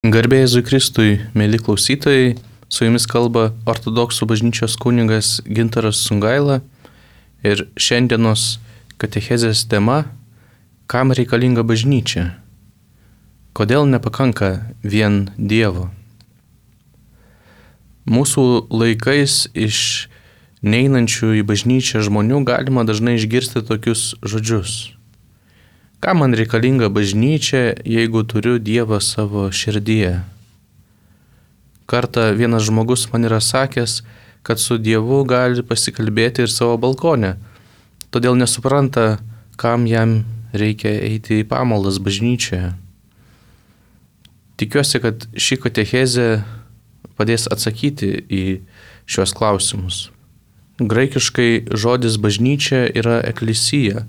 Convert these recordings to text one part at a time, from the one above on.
Garbė Jėzui Kristui, mėly klausytojai, su jumis kalba ortodoksų bažnyčios kunigas Gintaras Sungaila ir šiandienos katechezės tema – kam reikalinga bažnyčia? Kodėl nepakanka vien Dievo? Mūsų laikais iš neinančių į bažnyčią žmonių galima dažnai išgirsti tokius žodžius. Kam man reikalinga bažnyčia, jeigu turiu Dievą savo širdyje? Kartą vienas žmogus man yra sakęs, kad su Dievu gali pasikalbėti ir savo balkone, todėl nesupranta, kam jam reikia eiti į pamaldas bažnyčioje. Tikiuosi, kad ši katechezė padės atsakyti į šios klausimus. Graikiškai žodis bažnyčia yra eklisija.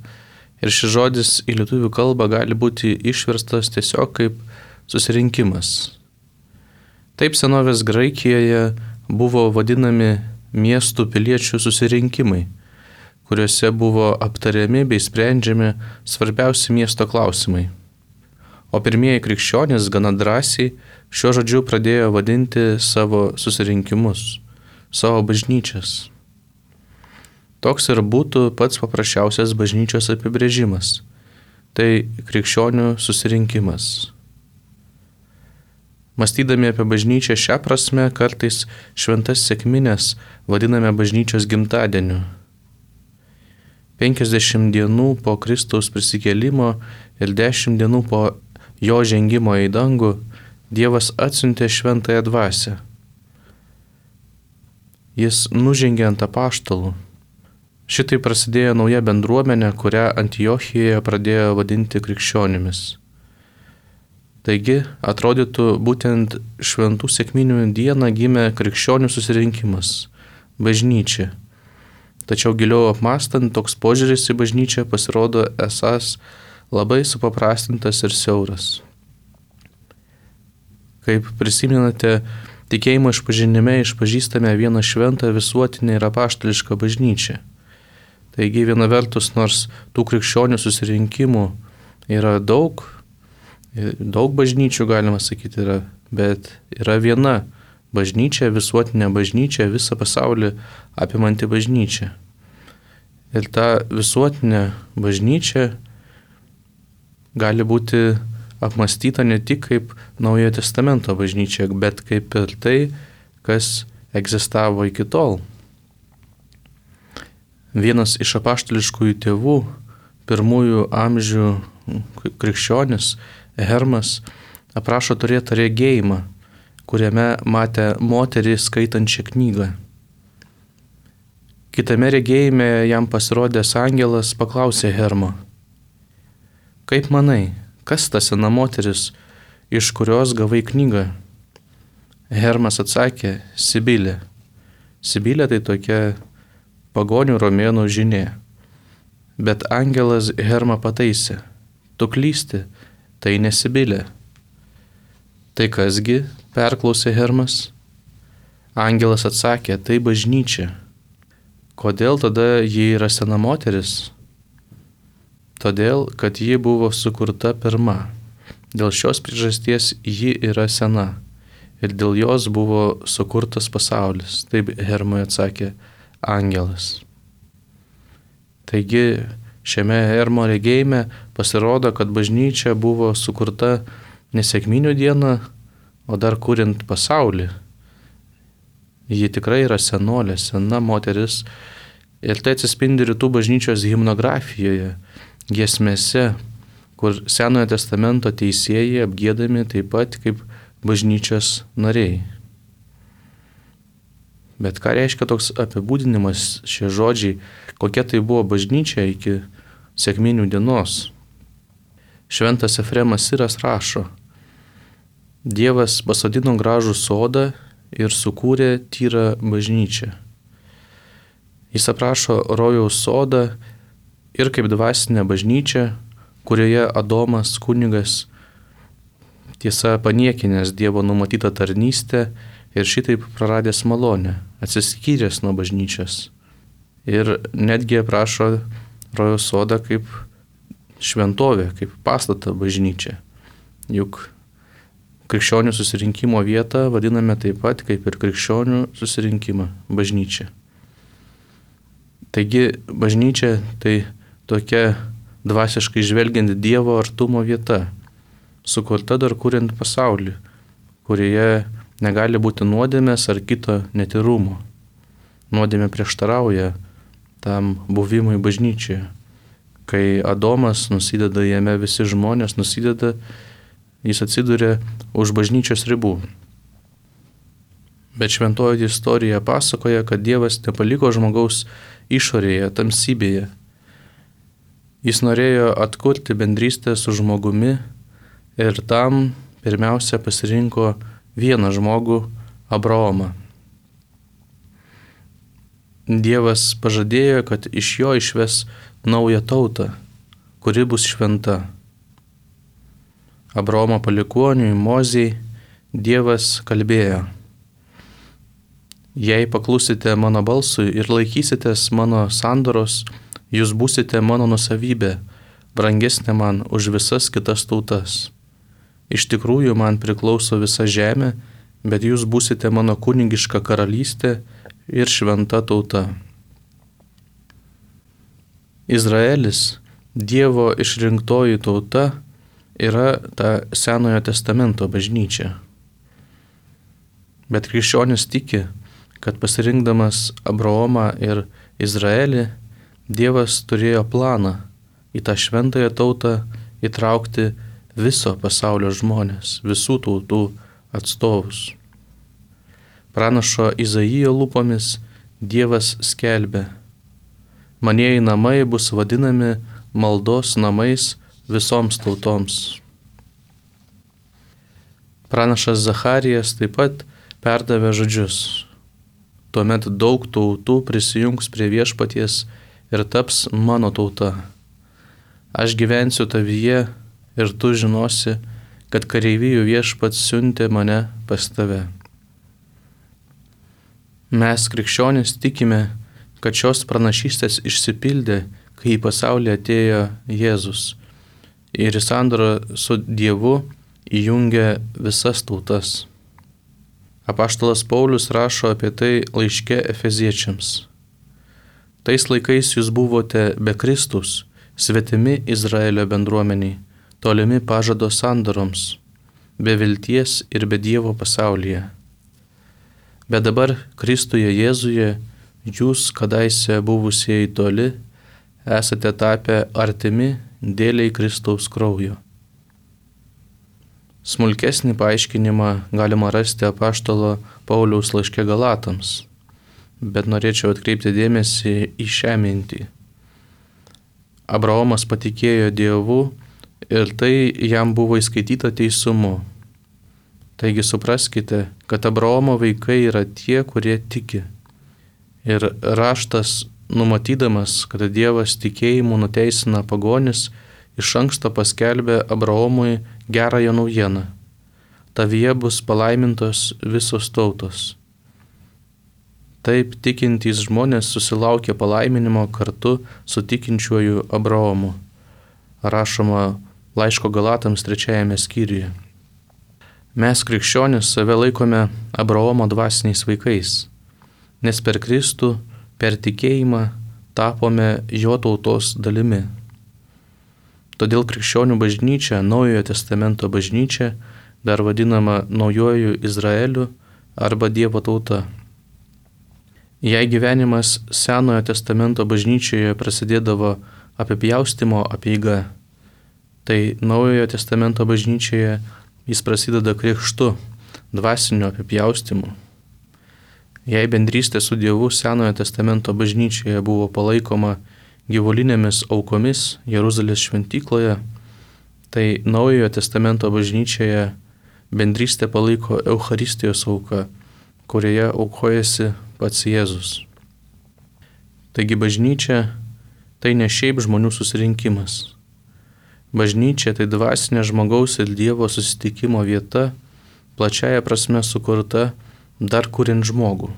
Ir šis žodis į lietuvių kalbą gali būti išverstas tiesiog kaip susirinkimas. Taip senovės Graikijoje buvo vadinami miestų piliečių susirinkimai, kuriuose buvo aptariami bei sprendžiami svarbiausi miesto klausimai. O pirmieji krikščionys gana drąsiai šiuo žodžiu pradėjo vadinti savo susirinkimus, savo bažnyčias. Toks ir būtų pats paprasčiausias bažnyčios apibrėžimas. Tai krikščionių susirinkimas. Mąstydami apie bažnyčią šią prasme, kartais šventas sekmines vadiname bažnyčios gimtadieniu. 50 dienų po Kristaus prisikėlimo ir 10 dienų po jo žengimo į dangų Dievas atsiuntė šventąją dvasią. Jis nužengė ant apaštalų. Šitai prasidėjo nauja bendruomenė, kurią Antiochijoje pradėjo vadinti krikščionimis. Taigi, atrodytų, būtent šventų sekminių dieną gimė krikščionių susirinkimas – bažnyčia. Tačiau giliau apmąstant, toks požiūris į bažnyčią pasirodo esąs labai supaprastintas ir siauras. Kaip prisimenate, tikėjimo išpažinime išpažįstame vieną šventą visuotinę ir apaštališką bažnyčią. Taigi viena vertus, nors tų krikščionių susirinkimų yra daug bažnyčių, galima sakyti, bet yra viena bažnyčia, visuotinė bažnyčia, visą pasaulį apimanti bažnyčia. Ir ta visuotinė bažnyčia gali būti apmąstyta ne tik kaip Naujojo testamento bažnyčia, bet kaip ir tai, kas egzistavo iki tol. Vienas iš apaštališkųjų tėvų, pirmųjų amžių krikščionis, Hermas, aprašo turėtą regėjimą, kuriame matė moterį skaitančią knygą. Kitame regėjime jam pasirodęs angelas paklausė Hermo: Kaip manai, kas ta sena moteris, iš kurios gavai knygą? Hermas atsakė: Sibilė. Sibilė tai tokia pagonių romėnų žinė. Bet angelas Hermą pataisė: Tu klysti, tai ne Sibilė. Tai kasgi, perklausė Hermas. Angelas atsakė: Tai bažnyčia. Kodėl tada ji yra sena moteris? Todėl, kad ji buvo sukurta pirma. Dėl šios priežasties ji yra sena. Ir dėl jos buvo sukurtas pasaulis. Taip Hermui atsakė angelas. Taigi šiame Hermo regėjime pasirodo, kad bažnyčia buvo sukurta ne sekminių dieną, o dar kuriant pasaulį. Ji tikrai yra senolė, sena moteris, ir tai atsispindi rytų bažnyčios himnografijoje, giesmėse, kur Senojo testamento teisėjai apgiedami taip pat kaip bažnyčios nariai. Bet ką reiškia toks apibūdinimas, šie žodžiai, kokia tai buvo bažnyčia iki sekminių dienos? Šventas Efremas Siras rašo: Dievas pasodino gražų sodą ir sukūrė tyrą bažnyčią. Jis aprašo rojaus sodą ir kaip dvasinę bažnyčią, kurioje Adomas kunigas, tiesa paniekinęs Dievo numatytą tarnystę ir šitaip praradęs malonę, atsiskyręs nuo bažnyčios. Ir netgi aprašo rojaus sodą kaip šventovę, kaip pastatą bažnyčią. Juk krikščionių susirinkimo vietą vadiname taip pat kaip ir krikščionių susirinkimą - bažnyčia. Taigi bažnyčia tai tokia dvasiškai žvelgiant Dievo artumo vieta, sukurta dar kuriant pasaulį, kurioje negali būti nuodėmės ar kito netyrumo. Nuodėmė prieštarauja tam buvimui bažnyčioje. Kai Adomas nusideda, jame visi žmonės nusideda, jis atsiduria už bažnyčios ribų. Bet šventoji istorija pasakoja, kad Dievas nepaliko žmogaus išorėje, tamsybėje. Jis norėjo atkurti bendrystę su žmogumi ir tam pirmiausia pasirinko vieną žmogų - Abraomą. Dievas pažadėjo, kad iš jo išves naują tautą, kuri bus šventa. Abraomo palikuoniui Mozei Dievas kalbėjo: Jei paklusite mano balsui ir laikysitės mano sandoros, jūs būsite mano nusavybė, brangesnė man už visas kitas tautas. Iš tikrųjų man priklauso visa žemė, bet jūs būsite mano kunigiška karalystė ir šventa tauta. Izraelis, Dievo išrinktoji tauta, yra ta Senojo testamento bažnyčia. Bet krikščionis tiki, kad pasirinkdamas Abraomą ir Izraelį, Dievas turėjo planą į tą šventąją tautą įtraukti viso pasaulio žmonės, visų tautų atstovus. Pranašo Izaijo lūpomis Dievas skelbė: Manieji namai bus vadinami maldos namais visoms tautoms. Pranašas Zacharijas taip pat perdavė žodžius: Tuomet daug tautų prisijungs prie viešpaties ir taps mano tauta. Aš gyvensiu tavyje ir tu žinosi, kad kareivijų viešpats siuntė mane pas tave. Mes krikščionys tikime, kad šios pranašystės išsipildė, kai į pasaulį atėjo Jėzus ir į sandorą su Dievu įjungė visas tautas. Apaštalas Paulius rašo apie tai laiške Efeziečiams. Tais laikais jūs buvote be Kristaus, svetimi Izraelio bendruomeniai, tolimi pažado sandoroms, be vilties ir be Dievo pasaulyje. Bet dabar Kristuje Jėzuje jūs, kadaise buvusieji toli, esate tapę artimi dėliai Kristaus kraujo. Smulkesnį paaiškinimą galima rasti apaštalo Pauliaus laiške Galatams, bet norėčiau atkreipti dėmesį į šią mintį. Abraomas patikėjo Dievu ir tai jam buvo įskaityta teisumu. Taigi supraskite, kad Abraomo vaikai yra tie, kurie tiki. Ir raštas, numatydamas, kad Dievas tikėjimu nuteisina pagonis, iš anksto paskelbė Abraomui gerąją naujieną. Tavyje bus palaimintos visos tautos. Taip tikintys žmonės susilaukė palaiminimo kartu su tikinčiuoju Abraomu. Rašoma laiško Galatams 3 skyriuje. Mes krikščionys save laikome Abraomo dvasiniais vaikais, nes per Kristų, per tikėjimą tapome jo tautos dalimi. Todėl krikščionių bažnyčia, Naujojo testamento bažnyčia, dar vadinama Naujuoju Izraeliu arba Dievo tauta. Jei gyvenimas Senojo testamento bažnyčioje prasidėdavo apipjaustymo apeiga, tai Naujojo testamento bažnyčioje jis prasideda krikštu, dvasiniu apipjaustymu. Jei bendrystė su Dievu Senojo testamento bažnyčioje buvo palaikoma gyvulinėmis aukomis Jeruzalės šventykloje, tai Naujojo testamento bažnyčioje bendrystė palaiko Eucharistijos auka, kurioje aukojasi pats Jėzus. Taigi bažnyčia tai ne šiaip žmonių susirinkimas. Bažnyčia tai dvasinė žmogaus ir Dievo susitikimo vieta, plačiaja prasme sukurta dar kuriant žmogų.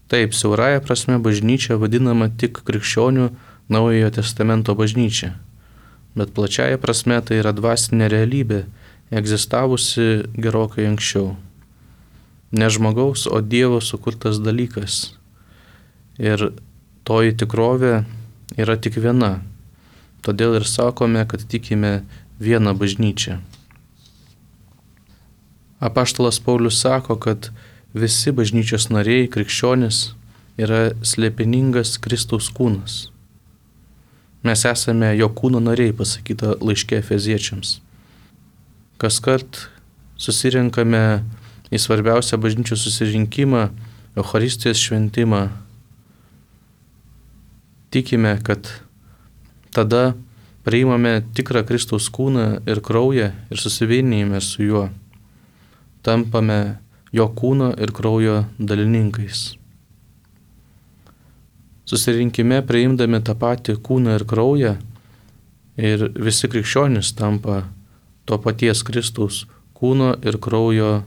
Taip, siaurąja prasme bažnyčia vadinama tik krikščionių Naujojo testamento bažnyčia, bet plačiaja prasme tai yra dvasinė realybė, egzistavusi gerokai anksčiau. Ne žmogaus, o Dievo sukurtas dalykas. Ir toji tikrovė yra tik viena. Todėl ir sakome, kad tikime vieną bažnyčią. Apaštalas Paulius sako, kad visi bažnyčios nariai, krikščionys, yra slėpiningas Kristaus kūnas. Mes esame jo kūno nariai, pasakyta laiške Efeziečiams. Kaskart susirenkame į svarbiausią bažnyčios susirinkimą, Eucharistijos šventimą. Tikime, kad tada priimame tikrą Kristaus kūną ir kraują ir susivienijame su juo. Tampame jo kūno ir kraujo dalininkais. Susirinkime priimdami tą patį kūną ir kraują ir visi krikščionys tampa to paties Kristaus kūno ir kraujo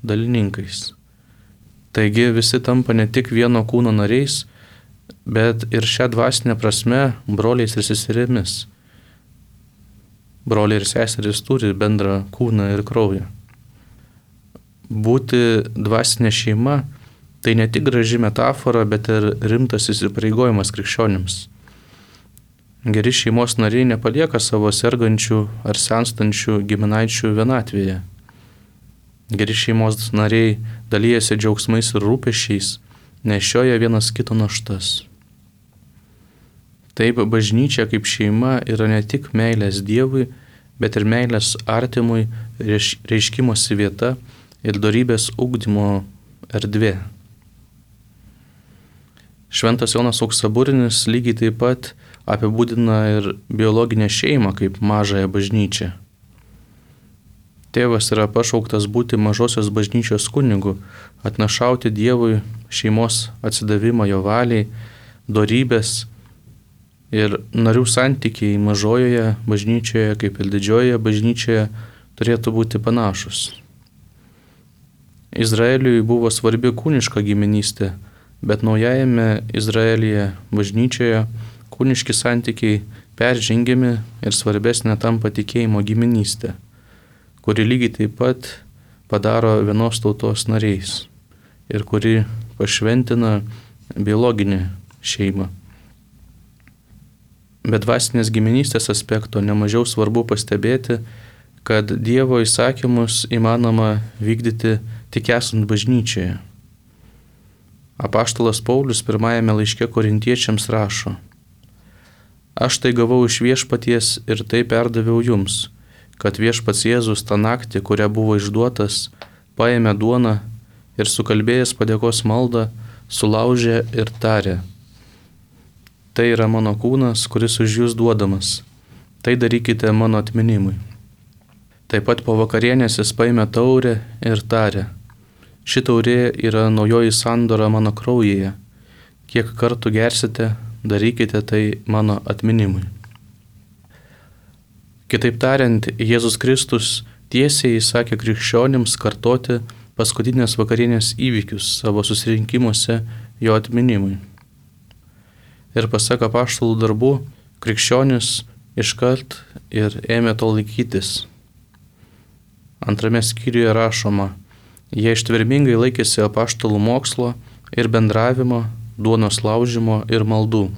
dalininkais. Taigi visi tampa ne tik vieno kūno nariais, bet ir šią dvasinę prasme broliais ir seserimis. Broliai ir seserys turi bendrą kūną ir kraują. Būti dvasinė šeima tai ne tik graži metafora, bet ir rimtas įsipareigojimas krikščionims. Geri šeimos nariai nepalieka savo sergančių ar senstančių giminaičių vienatvėje. Geri šeimos nariai dalyjasi džiaugsmais ir rūpesčiais, nešioja vienas kito naštas. Taip, bažnyčia kaip šeima yra ne tik meilės Dievui, bet ir meilės artimui reiškimosi vieta ir dorybės ugdymo erdvė. Šventas Jonas Auksaburinis lygiai taip pat apibūdina ir biologinę šeimą kaip mažąją bažnyčią. Tėvas yra pašauktas būti mažosios bažnyčios kunigu, atnašauti Dievui šeimos atsidavimą jo valiai, dorybės ir narių santykiai mažojoje bažnyčioje kaip ir didžiojoje bažnyčioje turėtų būti panašus. Izraeliui buvo svarbi kūniška giminystė, bet naujajame Izraelyje bažnyčioje kūniški santykiai peržengiami ir svarbesnė tampa tikėjimo giminystė, kuri lygiai taip pat padaro vienos tautos nariais ir kuri pašventina biologinę šeimą. Bet dvasinės giminystės aspekto nemažiau svarbu pastebėti, kad Dievo įsakymus įmanoma vykdyti tik esant bažnyčioje. Apaštalas Paulius pirmajame laiške Korintiečiams rašo: Aš tai gavau iš viešpaties ir tai perdaviau jums, kad viešpats Jėzus tą naktį, kurią buvo išduotas, paėmė duoną ir sukalbėjęs padėkos maldą, sulaužė ir tarė: Tai yra mano kūnas, kuris už jūs duodamas. Tai darykite mano atminimui. Taip pat po vakarienės jis paėmė taurę ir tarė: Ši taurė yra naujoji sandora mano kraujyje. Kiek kartų gersite, darykite tai mano atminimui. Kitaip tariant, Jėzus Kristus tiesiai įsakė krikščionims kartoti paskutinės vakarienės įvykius savo susirinkimuose jo atminimui. Ir pasak apaštalų darbų, krikščionis iškart ir ėmė to laikytis. Antrame skyriuje rašoma: Jie ištvermingai laikėsi apaštalų mokslo ir bendravimo, duonos laužimo ir maldų.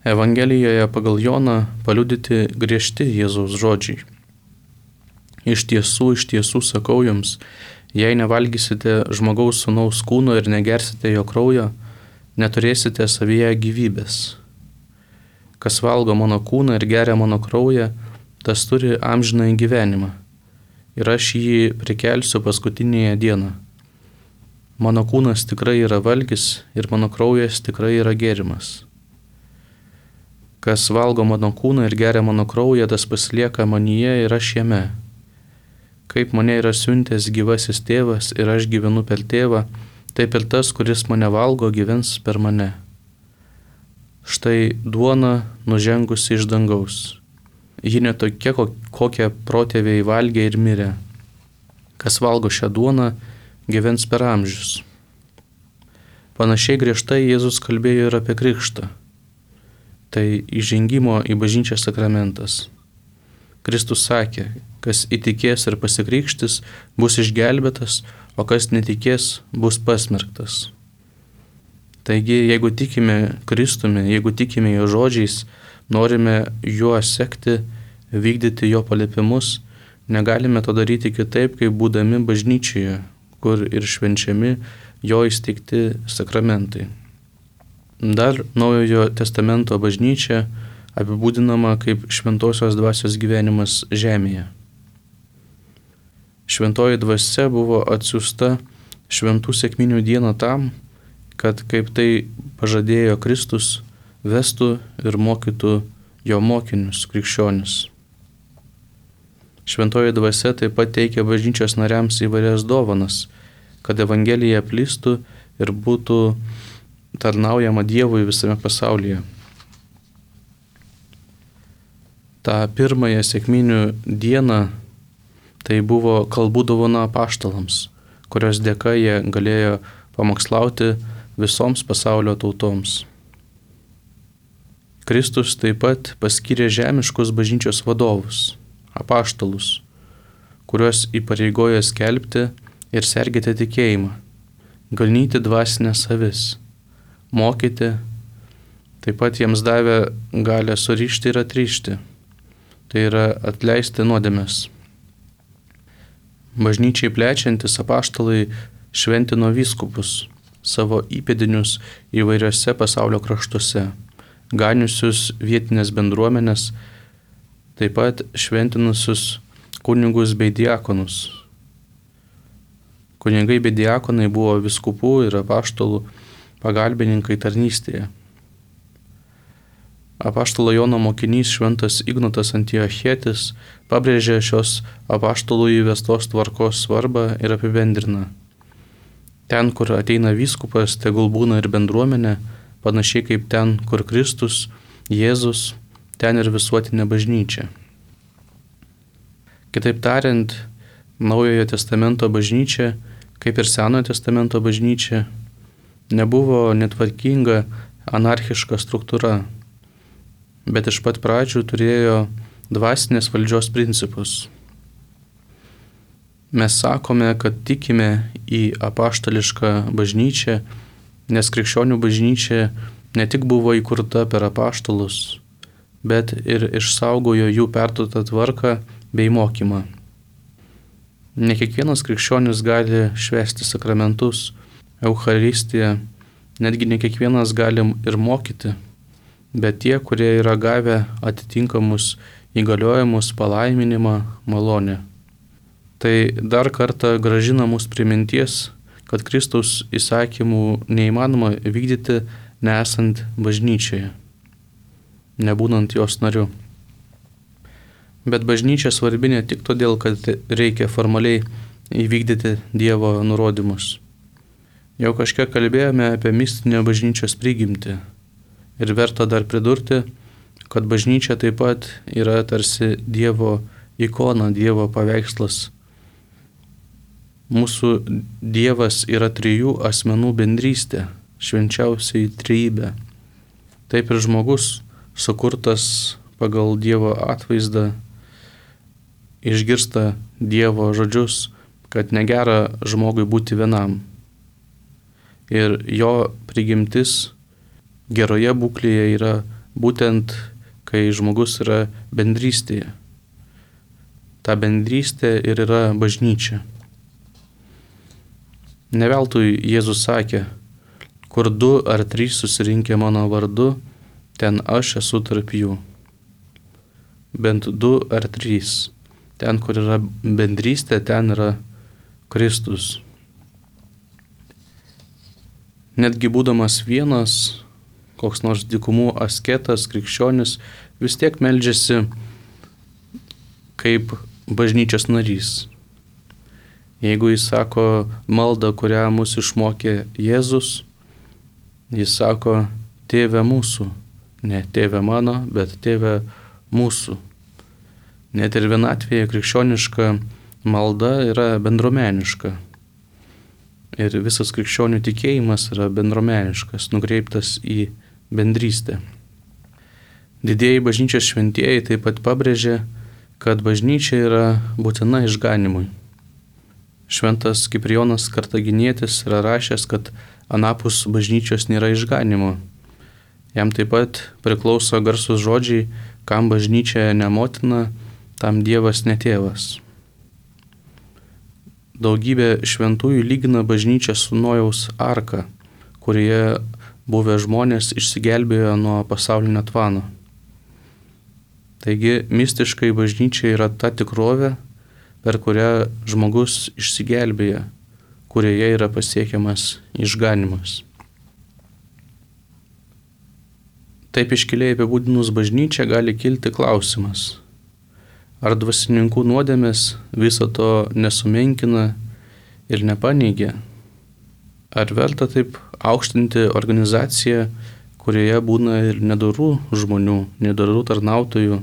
Evangelijoje pagal Joną paliudyti griežti Jėzaus žodžiai. Iš tiesų sakau jums, jei nevalgysite žmogaus sūnaus kūno ir negersite jo kraujo, neturėsite savyje gyvybės. Kas valgo mano kūną ir geria mano kraują, tas turi amžinąjį gyvenimą. Ir aš jį prikelsiu paskutinėje dieną. Mano kūnas tikrai yra valgis ir mano kraujas tikrai yra gėrimas. Kas valgo mano kūną ir geria mano kraują, tas pasilieka manyje ir aš jame. Kaip mane yra siuntęs gyvasis tėvas ir aš gyvenu per tėvą, taip ir tas, kuris mane valgo, gyvens per mane. Štai duona nužengusi iš dangaus. Ji netokia, kokią protėviai valgė ir mirė. Kas valgo šią duoną, gyvens per amžius. Panašiai griežtai Jėzus kalbėjo ir apie krikštą. Tai įžengimo į bažnyčią sakramentas. Kristus sakė, kas įtikės ir pasikrikštis, bus išgelbėtas, o kas netikės, bus pasmerktas. Taigi, jeigu tikime Kristumi, jeigu tikime jo žodžiais, norime juo sekti, vykdyti jo paliepimus, negalime to daryti kitaip, kaip būdami bažnyčioje, kur ir švenčiami jo įsteigti sakramentai. Dar Naujojo testamento bažnyčia apibūdinama kaip šventosios dvasios gyvenimas žemėje. Šventoji dvasia buvo atsiųsta šventų sekminių dieną tam, kad kaip tai pažadėjo Kristus, vestų ir mokytų jo mokinius, krikščionis. Šventoji dvasia taip pat teikia bažnyčios nariams įvairias dovanas, kad evangelija plistų ir būtų tarnaujama Dievui visame pasaulyje. Ta pirmąją sekminių dieną tai buvo kalbų dovana apaštalams, kurios dėka jie galėjo pamokslauti visoms pasaulio tautoms. Kristus taip pat paskyrė žemiškus bažnyčios vadovus, apaštalus, kuriuos įpareigojo skelbti ir sergėti tikėjimą, ganyti dvasinės avis, mokyti, taip pat jiems davė galę surišti ir atrišti, tai yra atleisti nuodėmes. Bažnyčiai plečiantis apaštalai šventino vyskupus, savo įpėdinius įvairiose pasaulio kraštuose, ganiusius vietinės bendruomenės, taip pat šventinusius kunigus bei diakonus. Kunigai bei diakonai buvo vyskupų ir apaštalų pagalbininkai tarnystėje. Apaštalo Jono mokinys šventas Ignotas Antiochietis pabrėžė šios apaštalų įvestos tvarkos svarbą ir apibendrina. Ten, kur ateina vyskupas, tegul būna ir bendruomenė, panašiai kaip ten, kur Kristus, Jėzus, ten ir visuotinė bažnyčia. Kitaip tariant, Naujojo testamento bažnyčia, kaip ir Senojo testamento bažnyčia, nebuvo netvarkinga, anarchiška struktūra, bet iš pat pradžių turėjo dvasinės valdžios principus. Mes sakome, kad tikime į apaštališką bažnyčią, nes krikščionių bažnyčia ne tik buvo įkurta per apaštalus, bet ir išsaugojo jų perduotą tvarką bei mokymą. Ne kiekvienas krikščionis gali švęsti sakramentus, Eucharistiją, netgi ne kiekvienas gali ir mokyti, bet tie, kurie yra gavę atitinkamus įgaliojimus, palaiminimą, malonę. Tai dar kartą grąžina mus prie minties, kad Kristaus įsakymų neįmanoma vykdyti nesant bažnyčioje, nebūnant jos nariu. Bet bažnyčia svarbi ne tik todėl, kad reikia formaliai įvykdyti Dievo nurodymus. Jau kažkiek kalbėjome apie mistinę bažnyčios prigimtį ir verta dar pridurti, kad bažnyčia taip pat yra tarsi Dievo ikona, Dievo paveikslas. Mūsų Dievas yra trijų asmenų bendrystė, švenčiausiai trejybė. Taip ir žmogus, sukurtas pagal Dievo atvaizdą, išgirsta Dievo žodžius, kad negera žmogui būti vienam. Ir jo prigimtis geroje būklėje yra būtent, kai žmogus yra bendrystėje. Ta bendrystė ir yra bažnyčia. Ne veltui Jėzus sakė, kur 2 ar 3 susirinkę mano vardu, ten aš esu tarp jų. Bent 2 ar 3. Ten, kur yra bendrystė, ten yra Kristus. Netgi būdamas vienas, koks nors dykumų asketas, krikščionis, vis tiek meldžiasi kaip bažnyčios narys. Jeigu jis sako maldą, kurią mus išmokė Jėzus, jis sako, Tėve mūsų, ne Tėve mano, bet Tėve mūsų. Net ir vienatvėje krikščioniška malda yra bendruomeniška. Ir visas krikščionių tikėjimas yra bendruomeniškas, nukreiptas į bendrystę. Didieji bažnyčios šventieji taip pat pabrėžė, kad bažnyčia yra būtina išganimui. Šventas Kiprijonas Kartaginietis yra rašęs, kad anapus bažnyčios nėra išganimo. Jam taip pat priklauso garsus žodžiai, kam bažnyčia ne motina, tam Dievas ne tėvas. Daugybė šventųjų lygina bažnyčią su Nojaus arka, kurioje buvę žmonės išsigelbėjo nuo pasaulinio tvano. Taigi mistiškai bažnyčia yra ta tikrovė, per kurią žmogus išsigelbėja, kurioje yra pasiekiamas išganimas. Taip iškiliai apibūdinus bažnyčią gali kilti klausimas, ar dvasininkų nuodėmės viso to nesumenkina ir nepaneigia? Ar verta taip aukštinti organizaciją, kurioje būna ir nedorų žmonių, nedorų tarnautojų?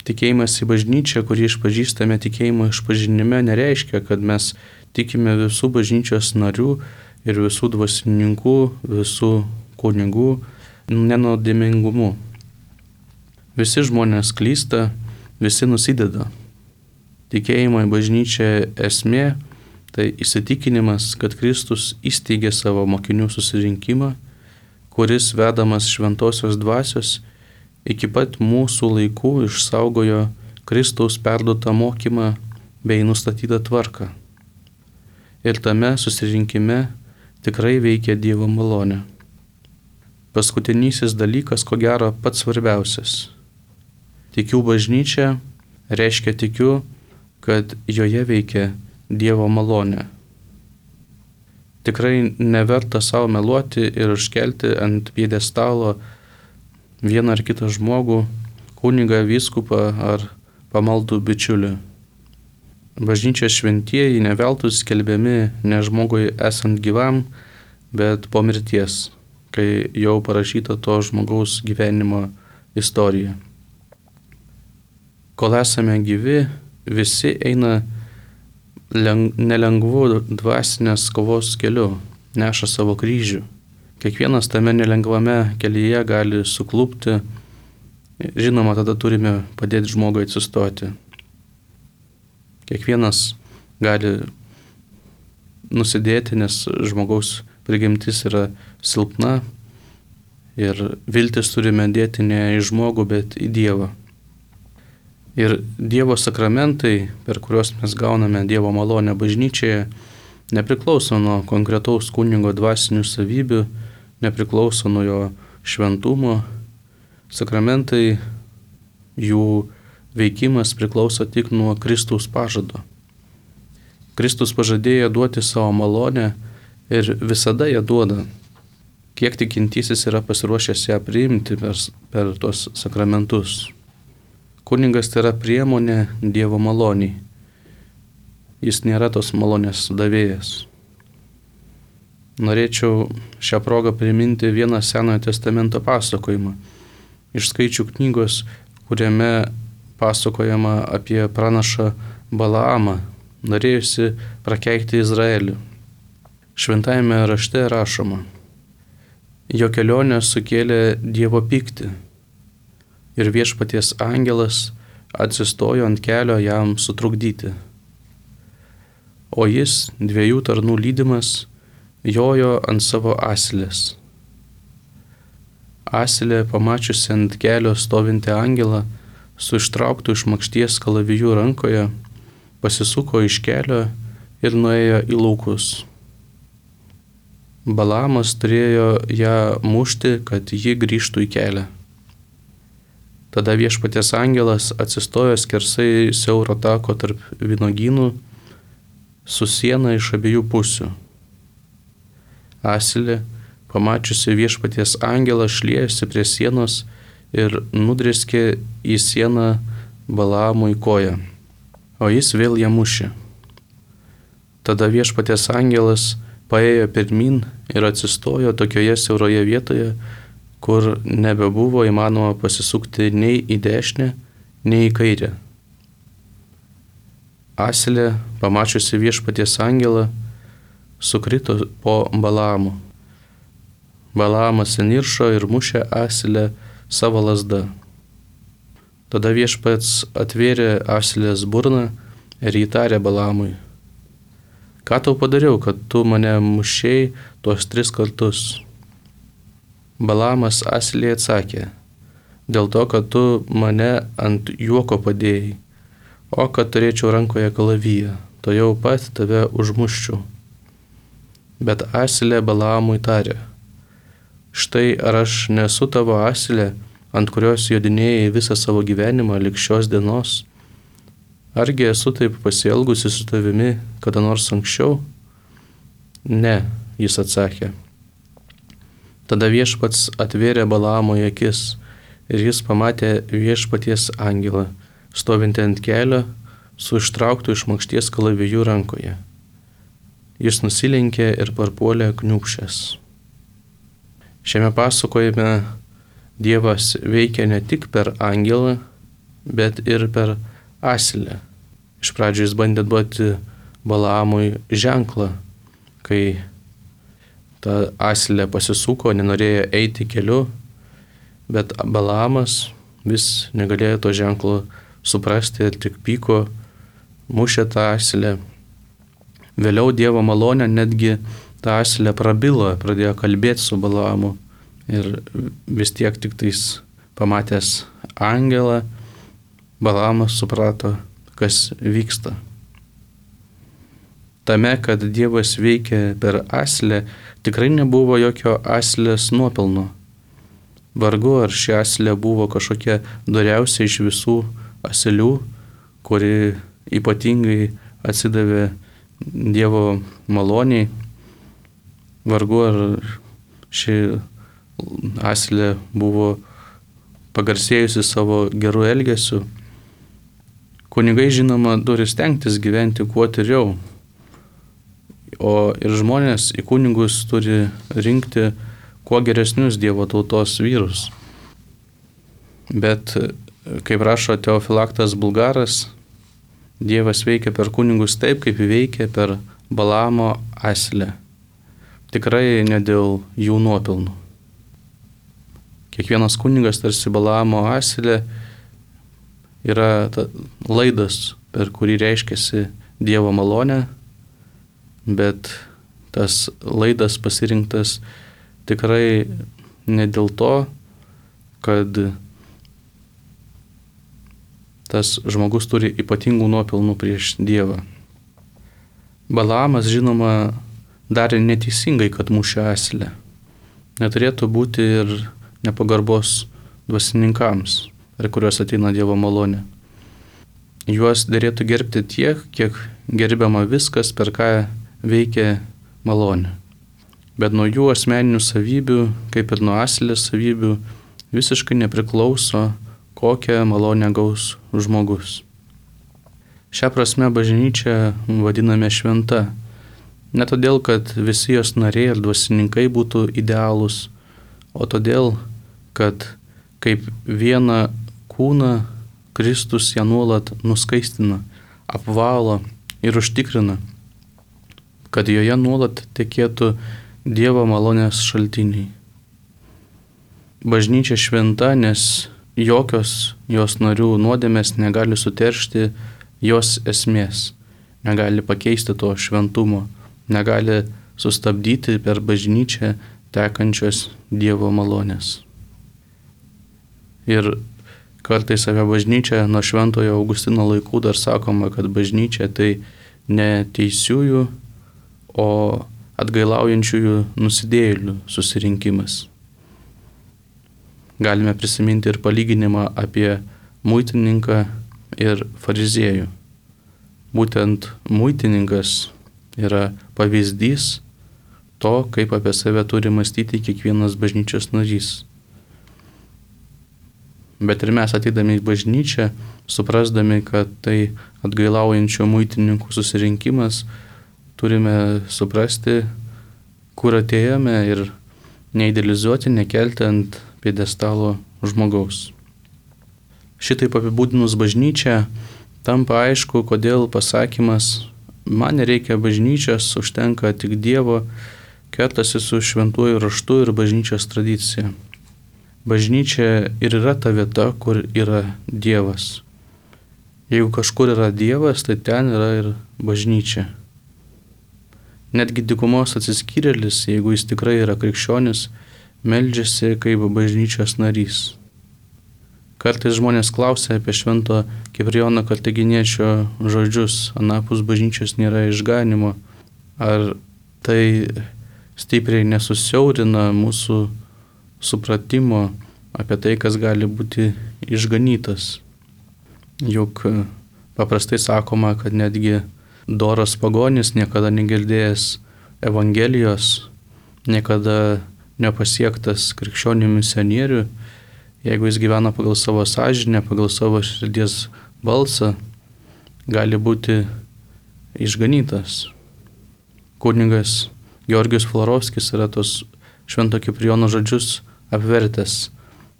Tikėjimas į bažnyčią, kurį išpažįstame tikėjimo išpažinime, nereiškia, kad mes tikime visų bažnyčios narių ir visų dvasininkų, visų kunigų nenuodėmingumu. Visi žmonės klysta, visi nusideda. Tikėjimo į bažnyčią esmė tai įsitikinimas, kad Kristus įsteigė savo mokinių susirinkimą, kuris vedamas šventosios dvasios iki pat mūsų laikų išsaugojo Kristaus perduotą mokymą bei nustatytą tvarką. Ir tame susirinkime tikrai veikia Dievo malonė. Paskutinysis dalykas, ko gero, pats svarbiausias. Tikiu bažnyčią reiškia tikiu, kad joje veikia Dievo malonė. Tikrai neverta savo meluoti ir užkelti ant pjedestalo vieną ar kitą žmogų, kunigą, vyskupą ar pamaldų bičiulį. Bažnyčios šventieji ne veltui skelbiami ne žmogui esant gyvam, bet po mirties, kai jau parašyta to žmogaus gyvenimo istorija. Kol esame gyvi, visi eina nelengvu dvasinės kovos keliu, neša savo kryžių. Kiekvienas tame nelengvame kelyje gali suklupti. Žinoma, tada turime padėti žmogui atsistoti. Kiekvienas gali nusidėti, nes žmogaus prigimtis yra silpna ir viltis turime dėti ne į žmogų, bet į Dievą. Ir Dievo sakramentai, per kuriuos mes gauname Dievo malonę bažnyčioje, nepriklauso nuo konkretaus kunigo dvasinių savybių, nepriklauso nuo jo šventumo. Sakramentai, jų veikimas priklauso tik nuo Kristaus pažado. Kristus pažadėjo duoti savo malonę ir visada ją duoda. Kiek tikintysis yra pasiruošęs ją priimti per tos sakramentus. Kunigas tai yra priemonė Dievo maloniai. Jis nėra tos malonės davėjas. Norėčiau šią progą priminti vieną Senojo testamento pasakojimą iš Skaičių knygos, kuriame pasakojama apie pranašą Balaamą, norėjusi prakeikti Izraelį. Šventajame rašte rašoma: jo kelionė sukėlė Dievo pyktį ir viešpaties angelas atsistojo ant kelio jam sutrukdyti. O jis, 2 tarnų lydimas, jojo ant savo asilės. Asilė, pamačiusi ant kelio stovintį angelą, su ištrauktu iš makšties kalaviju rankoje, pasisuko iš kelio ir nuėjo į laukus. Balaamas turėjo ją mušti, kad ji grįžtų į kelią. Tada viešpaties angelas atsistojo skersai siauro tako tarp vynogynų su siena iš abiejų pusių. Asilė, pamačiusi viešpaties angelą, šliejasi prie sienos ir nudrėskė į sieną Balaamui koją, o jis vėl ją mušė. Tada viešpaties angelas paėjo pirmyn ir atsistojo tokioje siauroje vietoje, kur nebebuvo įmanoma pasisukti nei į dešinę, nei į kairę. Asilė, pamačiusi viešpaties angelą, sukrito po Balaamu. Balaamas įniršo ir mušė Asilę savo lazda. Tada viešpats atvėrė asilės burną ir įtarė Balamui: ką tau padariau, kad tu mane mušei tuos 3 kartus? Balamas asiliai atsakė: dėl to, kad tu mane ant juoko padėjai, o kad turėčiau rankoje kalaviją, to jau pat tave užmuščiau. Bet asilė Balamui tarė: štai ar aš nesu tavo asilė, ant kurios jodinėjai visą savo gyvenimą lig šios dienos? Argi esu taip pasielgusi su tavimi kada nors anksčiau? Ne, jis atsakė. Tada viešpats atvėrė Balamui akis ir jis pamatė viešpaties angelą, stovintį ant kelio su ištrauktu iš makšties kalaviju rankoje. Jis nusilenkė ir parpuolė kniūbsčias. Šiame pasakojime Dievas veikia ne tik per angelą, bet ir per asilę. Iš pradžių jis bandė duoti Balamui ženklą, kai ta asilė pasisuko, nenorėjo eiti keliu, bet Balamas vis negalėjo to ženklo suprasti ir tik pyko, mušė tą asilę. Vėliau Dievo malonė netgi tą asilę prabilo, pradėjo kalbėti su Balamu ir vis tiek tik tais pamatęs angelą, Balamas suprato, kas vyksta. Tame, kad Dievas veikia per asilę, tikrai nebuvo jokio asilės nuopelno. Vargu ar ši asilė buvo kažkokia doriausia iš visų asilių, kuri ypatingai atsidavė Dievo maloniai. Vargu ar ši asilė buvo pagarsėjusi savo gerų elgesių. Kunigai, žinoma, turi stengtis gyventi kuo tyriau, o ir žmonės į kunigus turi rinkti kuo geresnius Dievo tautos vyrus. Bet, kaip rašo Teofilaktas Bulgaras, Dievas veikia per kunigus taip, kaip veikia per Balamo asilę. Tikrai ne dėl jų nuopelnų. Kiekvienas kunigas tarsi Balamo asilė yra laidas, per kurį reiškiasi Dievo malonė, bet tas laidas pasirinktas tikrai ne dėl to, kad tas žmogus turi ypatingų nuopelnų prieš Dievą. Balamas, žinoma, darė neteisingai, kad mušė asilę. Neturėtų būti ir nepagarbos dvasininkams, per kuriuos ateina Dievo malonė. Juos derėtų gerbti tiek, kiek gerbiama viskas, per ką veikia malonė. Bet nuo jų asmeninių savybių, kaip ir nuo asilės savybių, visiškai nepriklauso, kokią malonę gaus žmogus. Šią prasme bažnyčią vadiname šventa. Ne todėl, kad visi jos nariai ir dvasininkai būtų idealūs, o todėl, kad kaip vieną kūną Kristus ją nuolat nuskaistina, apvalo ir užtikrina, kad joje nuolat tekėtų Dievo malonės šaltiniai. Bažnyčia šventa, nes jokios jos narių nuodėmės negali suteršti jos esmės, negali pakeisti to šventumo, negali sustabdyti per bažnyčią tekančios Dievo malonės. Ir kartais apie bažnyčią nuo Šventojo Augustino laikų dar sakoma, kad bažnyčia tai ne teisiųjų, o atgailaujančiųjų nusidėjėlių susirinkimas. Galime prisiminti ir palyginimą apie muitininką ir fariziejų. Būtent muitininkas yra pavyzdys to, kaip apie save turi mąstyti kiekvienas bažnyčios narys. Bet ir mes ateidami į bažnyčią, suprasdami, kad tai atgailaujančio muitininkų susirinkimas, turime suprasti, kur atėjome ir neidealizuoti, nekelti ant pjedestalo žmogaus. Šitaip apibūdinus bažnyčią, tampa aišku, kodėl pasakymas "man nereikia bažnyčios, užtenka tik Dievo" kertasi su šventuoju raštu ir bažnyčios tradicija. Bažnyčia ir yra ta vieta, kur yra Dievas. Jeigu kažkur yra Dievas, tai ten yra ir bažnyčia. Netgi dykumos atsiskyrėlis, jeigu jis tikrai yra krikščionis, meldžiasi kaip bažnyčios narys. Kartais žmonės klausia apie švento Kiprijono Kartaginiečio žodžius, anapus bažnyčios nėra išganimo. Ar tai stipriai nesusiaurina mūsų supratimo apie tai, kas gali būti išganytas? Juk paprastai sakoma, kad netgi doras pagonis, niekada negirdėjęs Evangelijos, niekada nepasiektas krikščionių misionierių, jeigu jis gyvena pagal savo sąžinę, pagal savo širdies balsą, gali būti išganytas. Kunigas Georgijus Florovskis yra tos švento Kiprijono žodžius apvertęs.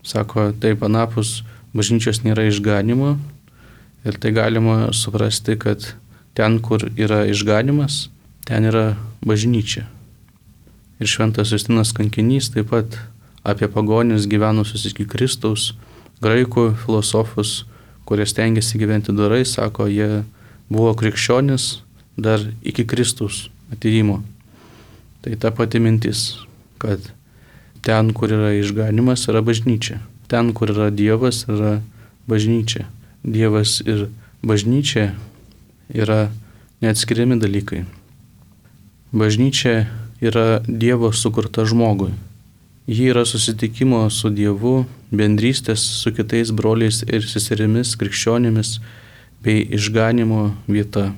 Sako, taip anapus bažnyčios nėra išganimo ir tai galima suprasti, kad ten, kur yra išganimas, ten yra bažnyčia. Ir šventas Justinas Kankinys taip pat apie pagonis gyvenusius iki Kristaus, graikų filosofus, kurie stengiasi gyventi dorai, sako, jie buvo krikščionis dar iki Kristaus atėjimo. Tai ta pati mintis, kad ten, kur yra išganimas, yra bažnyčia. Ten, kur yra Dievas, yra bažnyčia. Dievas ir bažnyčia yra neatskiriami dalykai. Bažnyčia yra Dievo sukurta žmogui. Ji yra susitikimo su Dievu, bendrystės su kitais broliais ir seserimis krikščionimis bei išganimo vieta.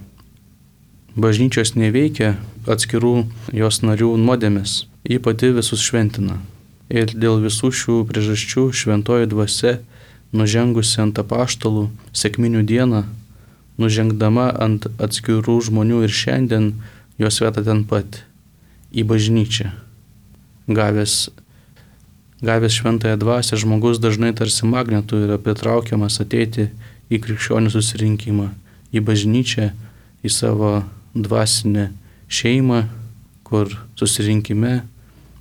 Bažnyčios neveikia atskirų jos narių nuodėmės, ji pati visus šventina. Ir dėl visų šių priežasčių šventoji dvasia, nužengusi ant apaštalų sekminių dieną, nužengdama ant atskirų žmonių ir šiandien, jos veda ten pat, į bažnyčią. Gavęs šventąją dvasią, žmogus dažnai tarsi magnetu yra pritraukiamas ateiti į krikščionių susirinkimą, į bažnyčią, į savo dvasinę šeimą, kur susirinkime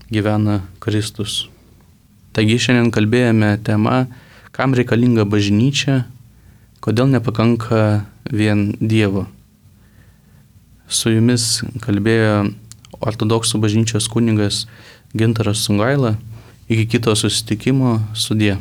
gyvena Kristus. Taigi šiandien kalbėjome tema, kam reikalinga bažnyčia, kodėl nepakanka vien Dievo. Su jumis kalbėjo ortodoksų bažnyčios kunigas Gintaras Sungaila. Iki kito susitikimo, sudie.